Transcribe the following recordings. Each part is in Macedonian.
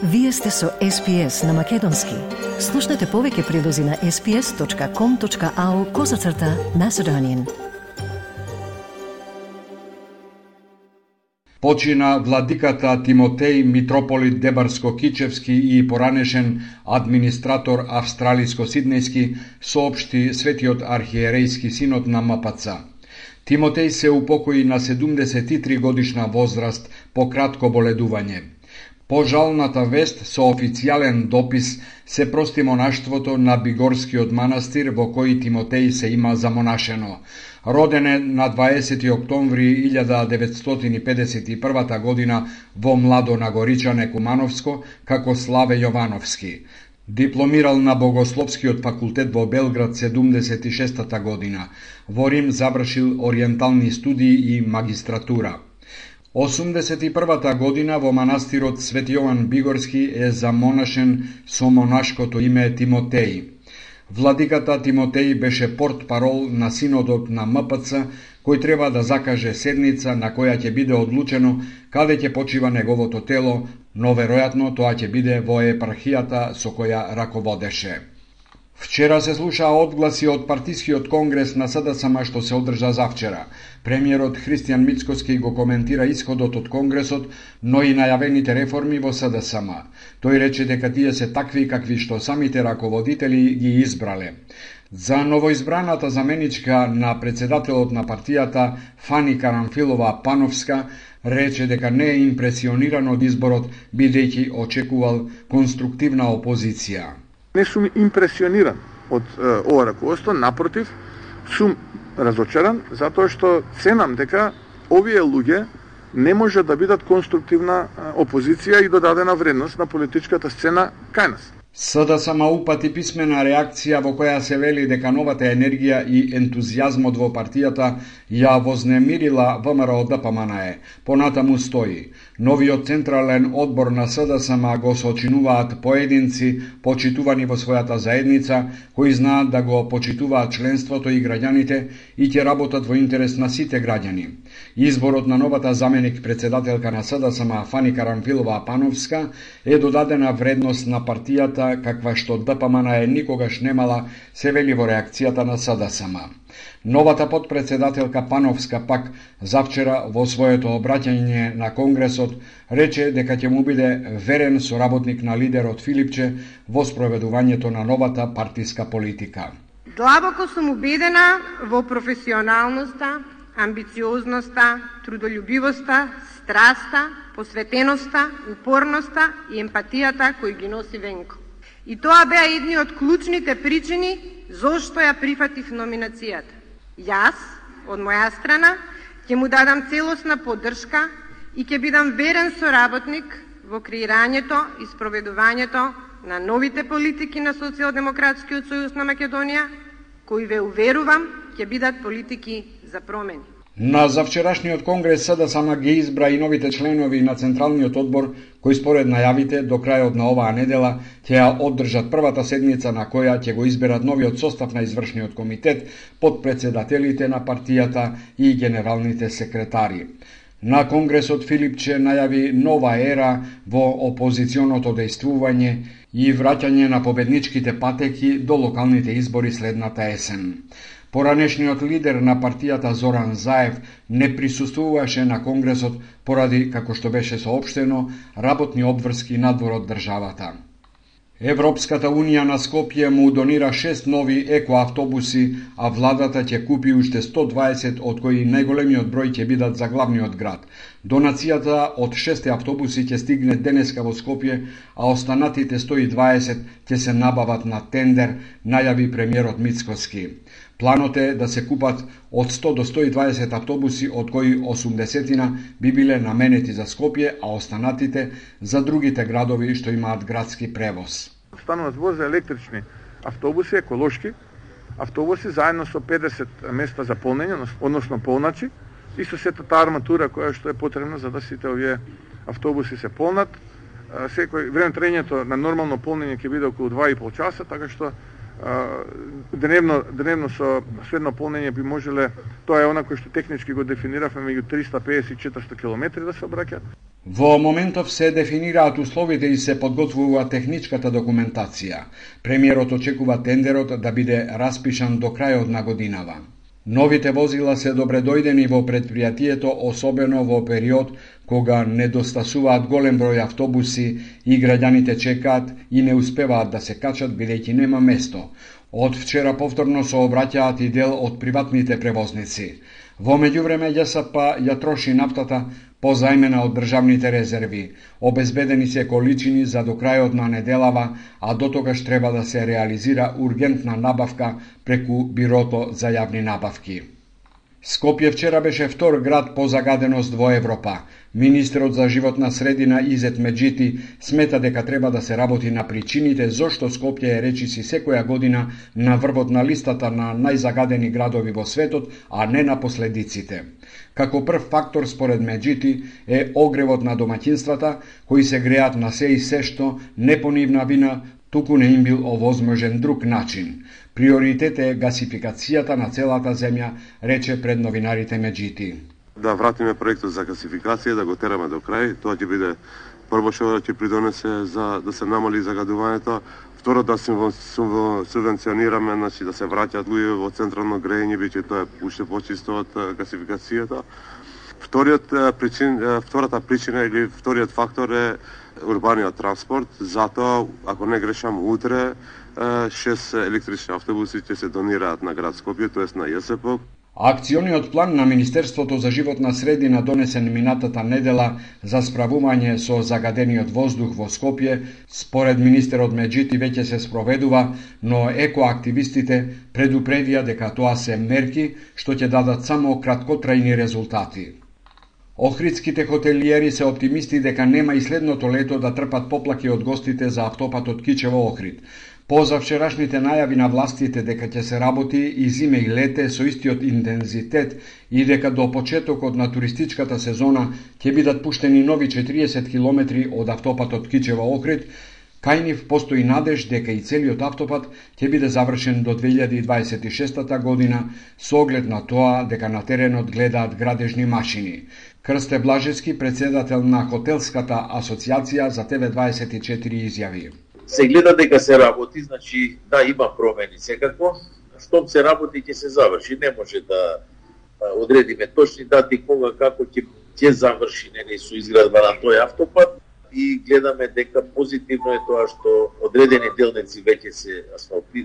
Вие сте со SPS на Македонски. Слушнете повеќе прилози на sps.com.au/Macedonian. Почина владиката Тимотеј митрополит Дебарско-Кичевски и поранешен администратор австралиско-сиднејски, соопшти Светиот архиерејски синод на МПЦ. Тимотеј се упокои на 73 годишна возраст по кратко боледување. По жалната вест со официјален допис се прости монаштвото на Бигорскиот манастир во кој Тимотеј се има замонашено. Роден е на 20. октомври 1951 година во Младо Нагоричане, Кумановско, како Славе Јовановски. Дипломирал на Богословскиот факултет во Белград 76 година. Во Рим завршил ориентални студии и магистратура. 81 година во манастирот Свети Јован Бигорски е замонашен со монашкото име Тимотеј. Владиката Тимотеј беше портпарол на синодот на МПЦ, кој треба да закаже седница на која ќе биде одлучено каде ќе почива неговото тело, но веројатно тоа ќе биде во епархијата со која раководеше. Вчера се слушаа одгласи од партискиот конгрес на СДСМ што се одржа завчера. Премиерот Христијан Мицкоски го коментира исходот од конгресот, но и најавените реформи во СДСМ. Тој рече дека тие се такви какви што самите раководители ги избрале. За новоизбраната заменичка на председателот на партијата Фани Карамфилова Пановска рече дека не е импресиониран од изборот, бидејќи очекувал конструктивна опозиција. Не сум импресиониран од ова раководство, напротив, сум разочаран затоа што ценам дека овие луѓе не може да бидат конструктивна опозиција и додадена вредност на политичката сцена кај нас. СДСМ упати писмена реакција во која се вели дека новата енергија и ентузијазмот во партијата ја вознемирила ВМРО ДПМНЕ. Понатаму стои: новиот централен одбор на СДСМ го сочинуваат поединци почитувани во својата заедница, кои знаат да го почитуваат членството и граѓаните и ќе работат во интерес на сите граѓани. Изборот на новата заменик председателка на СДСМ Фани Карамфилова Пановска е додадена вредност на партијата каква што ДПМНЕ никогаш немала, се вели во реакцијата на СДСМ. Новата подпредседателка Пановска пак завчера во своето обраќање на Конгресот рече дека ќе му биде верен соработник на лидерот Филипче во спроведувањето на новата партиска политика. Длабоко сум убедена во професионалноста, амбициозноста, трудолюбивоста, страста, посветеноста, упорноста и емпатијата кои ги носи Венко. И тоа беа едни од клучните причини зошто ја прифатив номинацијата. Јас, од моја страна, ќе му дадам целосна поддршка и ќе бидам верен соработник во креирањето и спроведувањето на новите политики на Социјалдемократскиот сојуз на Македонија, кои ве уверувам ќе бидат политики за промени. На завчерашниот конгрес СДСМ ги избра и новите членови на Централниот одбор, кои според најавите до крајот на оваа недела ќе ја одржат првата седница на која ќе го изберат новиот состав на извршниот комитет, подпредседателите на партијата и генералните секретари. На конгресот Филипче најави нова ера во опозиционото дејствување и враќање на победничките патеки до локалните избори следната есен. Поранешниот лидер на партијата Зоран Заев не присуствуваше на конгресот поради, како што беше соопштено, работни обврски надвор од државата. Европската унија на Скопје му донира 6 нови екоавтобуси, а владата ќе купи уште 120, од кои најголемиот број ќе бидат за главниот град. Донацијата од 6 автобуси ќе стигне денеска во Скопје, а останатите 120 ќе се набават на тендер, најави премиерот Мицкоски. Планот е да се купат од 100 до 120 автобуси, од кои 80 би биле наменети за Скопје, а останатите за другите градови што имаат градски превоз. Станува збор за електрични автобуси, еколошки автобуси, заедно со 50 места за полнење, односно полначи, и со сета таа арматура која што е потребна за да сите овие автобуси се полнат. Секој време траењето на нормално полнење ќе биде околу 2,5 часа, така што дневно со средно полнење би можеле, тоа е она кој што технички го дефиниравме, меѓу 350 и 400 километри да се обраќаат. Во моментов се дефинираат условите и се подготвува техничката документација. Премиерот очекува тендерот да биде распишан до крајот на годинава. Новите возила се добредојдени во предпријатието, особено во период кога недостасуваат голем број автобуси и граѓаните чекаат и не успеваат да се качат бидејќи нема место. Од вчера повторно се обраќаат и дел од приватните превозници. Во меѓувреме ЈСП ја троши нафтата позајмена од државните резерви. Обезбедени се количини за до крајот на неделава, а до тогаш треба да се реализира ургентна набавка преку Бирото за јавни набавки. Скопје вчера беше втор град по загаденост во Европа. Министерот за животна средина Изет Меджити смета дека треба да се работи на причините зошто Скопје е речиси секоја година на врвот на листата на најзагадени градови во светот, а не на последиците. Како прв фактор според Меджити е огревот на домаќинствата, кои се греат на се и се што не по нивна вина, туку не им бил овозможен друг начин. Приоритет е гасификацијата на целата земја, рече пред новинарите Меджити. Да вратиме проектот за гасификација, да го тераме до крај. Тоа ќе биде прво што ќе придонесе за да се намали загадувањето. Второ, да субвенционираме, значи да се враќаат луѓе во централно грејење, бидејќи тоа е уште почисто од гасификацијата. Втората причина или вториот фактор е урбаниот транспорт. Затоа, ако не грешам, утре 6 електрични автобуси ќе се донираат на град Скопје, тоест на ЈСП. Акциониот план на Министерството за животна средина донесен минатата недела за справување со загадениот воздух во Скопје, според министерот Меджити веќе се спроведува, но екоактивистите предупредија дека тоа се мерки што ќе дадат само краткотрајни резултати. Охридските хотелиери се оптимисти дека нема и следното лето да трпат поплаки од гостите за автопатот Кичево Охрид. Поза вчерашните најави на властите дека ќе се работи и зиме и лете со истиот интензитет и дека до почетокот на туристичката сезона ќе бидат пуштени нови 40 километри од автопатот Кичево Охрид, кај нив постои надеж дека и целиот автопат ќе биде завршен до 2026 година со оглед на тоа дека на теренот гледаат градежни машини. Крсте Блажевски, председател на Хотелската асоциација за ТВ24 изјави. Се гледа дека се работи, значи да има промени секако, штом се работи ќе се заврши, не може да одредиме точни дати кога како ќе заврши нели со изградба на тој автопат и гледаме дека позитивно е тоа што одредени делници веќе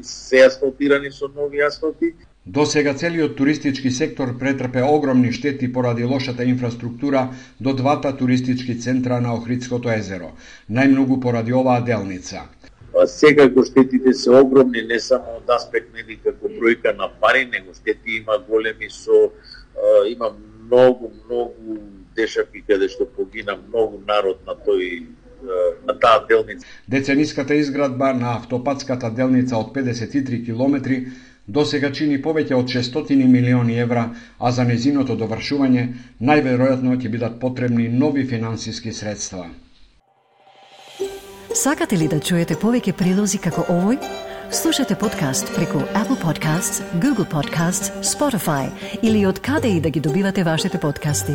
се асфалтирани со нови асфалти. До сега целиот туристички сектор претрпе огромни штети поради лошата инфраструктура до двата туристички центра на Охридското езеро, најмногу поради оваа делница. Секако штетите се огромни, не само од аспект нели како бројка на пари, него штети има големи има многу дешаки каде што погина многу народ на таа делница. Децениската изградба на автопатската делница од 53 километри до сега чини повеќе од 600 милиони евра, а за незиното довршување најверојатно ќе бидат потребни нови финансиски средства. Сакате ли да чуете повеќе прилози како овој? Слушате подкаст преку Apple Podcasts, Google Podcasts, Spotify или од каде и да ги добивате вашите подкасти.